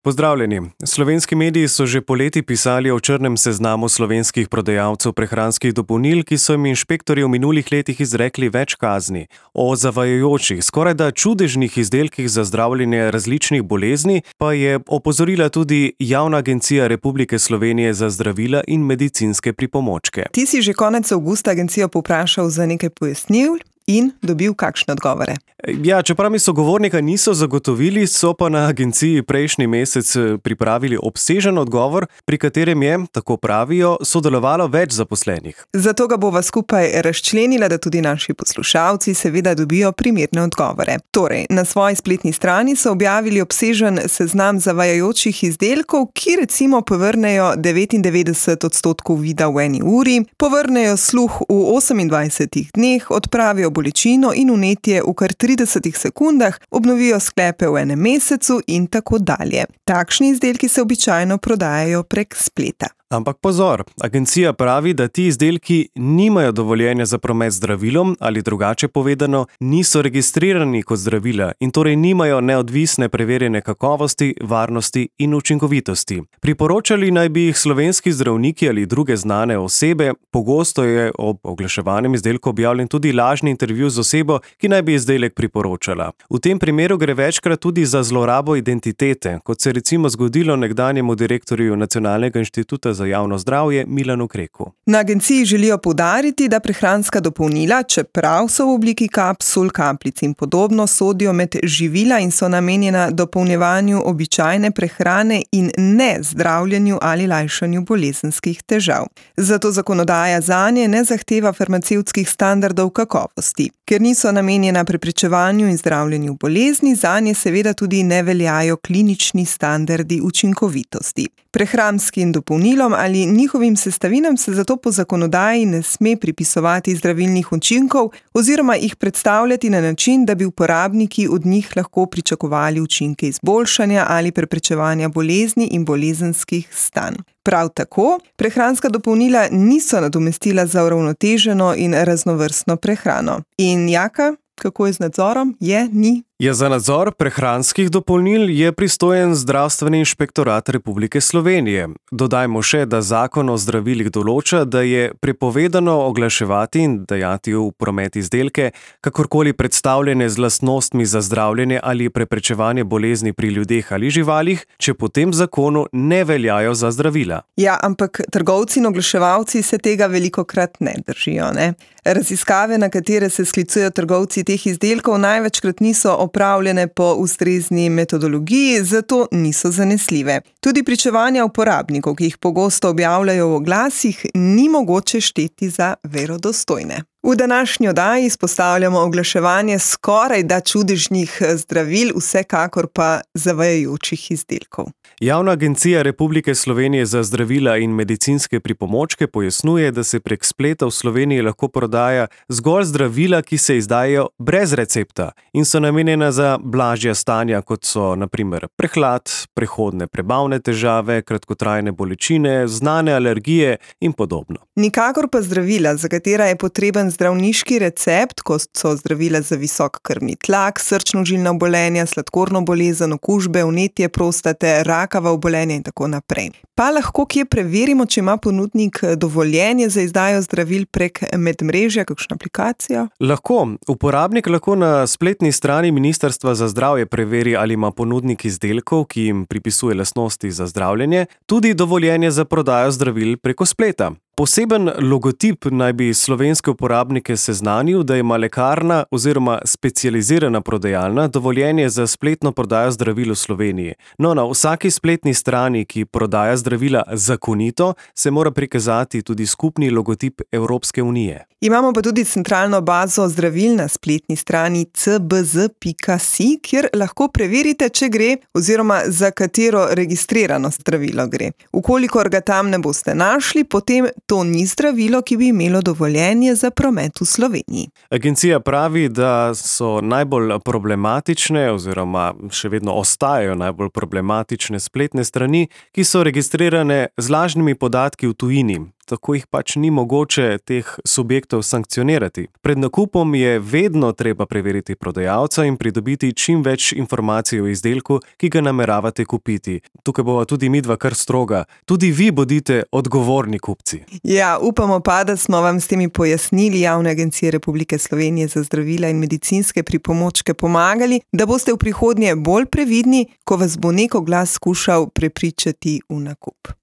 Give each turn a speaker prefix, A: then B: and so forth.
A: Pozdravljeni. Slovenski mediji so že poleti pisali o črnem seznamu slovenskih prodajalcev prehranskih dopolnil, ki so jim inšpektorji v minulih letih izrekli več kazni. O zavajajočih, skorajda čudežnih izdelkih za zdravljenje različnih bolezni pa je opozorila tudi Javna agencija Republike Slovenije za zdravila in medicinske pripomočke.
B: Ti si že konec avgusta agencijo povprašal za nekaj pojasnil in dobil kakšne odgovore?
A: Ja, čeprav mi sogovornika niso zagotovili, so pa na agenciji prejšnji mesec pripravili obsežen odgovor, pri katerem je, tako pravijo, sodelovalo več zaposlenih.
B: Zato ga bova skupaj razčlenila, da tudi naši poslušalci seveda dobijo primerne odgovore. Torej, na svoji spletni strani so objavili obsežen seznam zavajajočih izdelkov, ki recimo povrnejo 99% vida v eni uri, povrnejo sluh v 28 dneh, odpravijo bolečino in vnetje v kar 30 sekundah, obnovijo sklepe v enem mesecu in tako dalje. Takšni izdelki se običajno prodajajo prek spleta.
A: Ampak pozor, agencija pravi, da ti izdelki nimajo dovoljenja za promet z zdravilom ali drugače povedano, niso registrirani kot zdravila in torej nimajo neodvisne preverjene kakovosti, varnosti in učinkovitosti. Priporočali naj bi jih slovenski zdravniki ali druge znane osebe, pogosto je ob oglaševanem izdelku objavljen tudi lažni intervju z osebo, ki naj bi izdelek priporočala. V tem primeru gre večkrat tudi za zlorabo identitete, kot se recimo zgodilo nekdanjemu direktorju Nacionalnega inštituta za javno zdravje Milanu Kreku.
B: Na agenciji želijo poudariti, da prehranska dopolnila, čeprav so v obliki kapsul, kapljic in podobno, sodijo med živila in so namenjena dopolnjevanju običajne prehrane in ne zdravljenju ali lajšanju bolezenskih težav. Zato zakonodaja zanje ne zahteva farmacevtskih standardov kakovosti. Ker niso namenjena preprečevanju in zdravljenju bolezni, zanje seveda tudi ne veljajo klinični standardi učinkovitosti. Prehranskim dopolnilom ali njihovim sestavinam se zato po zakonodaji ne sme pripisovati zdravilnih učinkov oziroma jih predstavljati na način, da bi uporabniki od njih lahko pričakovali učinke izboljšanja ali preprečevanja bolezni in bolezenskih stanj. Prav tako, prehranska dopolnila niso nadomestila za uravnoteženo in raznovrstno prehrano. In Jaka, kako je z nadzorom? Ni?
A: Za nadzor prehranskih dopolnil je pristojen Zdravstveni inšpektorat Republike Slovenije. Dodajmo še, da zakon o zdravilih določa, da je prepovedano oglaševati in dajati v promet izdelke, kakorkoli predstavljene z lastnostmi za zdravljenje ali preprečevanje bolezni pri ljudeh ali živalih, če po tem zakonu ne veljajo za zdravila.
B: Ja, ampak trgovci in oglaševalci se tega velikokrat ne držijo, ne? Raziskave, na katere se sklicujejo trgovci teh izdelkov, največkrat niso opravljene po ustrezni metodologiji, zato niso zanesljive. Tudi pričevanja uporabnikov, ki jih pogosto objavljajo v oglasih, ni mogoče šteti za verodostojne. V današnji oddaji izpostavljamo oglaševanje skorajda čudežnih zdravil, vsekakor pa zavajajočih izdelkov.
A: Javna agencija Republike Slovenije za zdravila in medicinske pripomočke pojasnjuje, da se prek spleta v Sloveniji lahko prodaja zgolj zdravila, ki se izdajajo brez recepta in so namenjena za blažja stanja, kot so na primer prehlad, prehodne prebavne težave, kratkotrajne bolečine, znane alergije in podobno.
B: Nikakor pa zdravila, za katera je potreben zdravniški recept, kot so zdravila za visok krvni tlak, srčno-žilna obolenja, sladkorno bolezen, okužbe, vnetje prostate, rakava obolenja in tako naprej. Pa lahko kje preverimo, če ima ponudnik dovoljenje za izdajo zdravil prek medmrežja, kakšno aplikacijo?
A: Lahko. Uporabnik lahko na spletni strani Ministrstva za zdravje preveri, ali ima ponudnik izdelkov, ki jim pripisuje lastnosti za zdravljenje, tudi dovoljenje za prodajo zdravil preko spleta. Poseben logotip naj bi slovenske uporabnike seznanil, da ima lekarna oziroma specializirana prodajalna dovoljenje za spletno prodajo zdravil v Sloveniji. No, na vsaki spletni strani, ki prodaja zdravila zakonito, se mora prikazati tudi skupni logotip Evropske unije.
B: Imamo pa tudi centralno bazo zdravil na spletni strani cbz.si, kjer lahko preverite, če gre oziroma za katero registrirano zdravilo gre. Ukolikor ga tam ne boste našli, potem to ni zdravilo, ki bi imelo dovoljenje za promet v Sloveniji.
A: Agencija pravi, da so najbolj problematične oziroma še vedno ostajajo najbolj problematične spletne strani, ki so registrirane z lažnimi podatki v tujini. tako jih pač ni mogoče teh subjektov sankcionirati. Pred nakupom je vedno treba preveriti prodajalca in pridobiti čim več informacij o izdelku, ki ga nameravate kupiti. Tukaj bova tudi midva kar stroga. Tudi vi bodite odgovorni kupci.
B: Ja, upamo pa, da smo vam s temi pojasnili Javne agencije Republike Slovenije za zdravila in medicinske pripomočke pomagali, da boste v prihodnje bolj previdni, ko vas bo neko glas skušal prepričati v nakup.